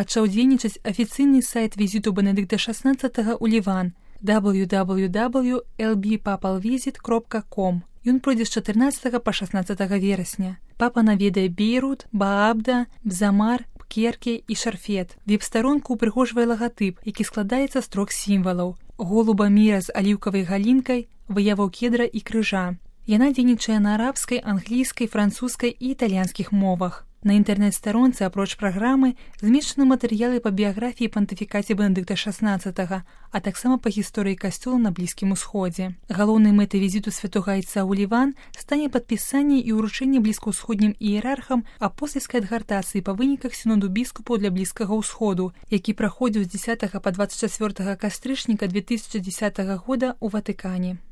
пачаў дзейнічаць афіцыйны сайт візіту Бенедыкта XVI ў Ліван www.lbpapalvisit.com. Ён пройдзе з 14 па 16 верасня. Папа наведае Бейрут, Баабда, Бзамар, Пкерке і Шарфет. Веб-старонку упрыгожвае лагатып, які складаецца з 3 сімвалаў: голуба міра з аліўкавай галінкай, выяваў кедра і крыжа. Яна дзейнічае на арабскай, англійскай, французскай і італьянскіх мовах. На інтэрнэт-старонцы, апроч праграмы, змешчаны матэрыялы па біяграфіі і пантыфікаце Бенедыкта XVI, а таксама па гісторыі касцёла на Блізкім Усходзе. Галоўнай мэтай візіту святога айца ў Ліван стане падпісанне і ўручэнне блізкаўсходнім іерархам апостальскай адгартацыі па выніках сіноду біскупаў для Блізкага Ўсходу, які праходзіў з 10 па 24 кастрычніка 2010 года ў Ватыкане.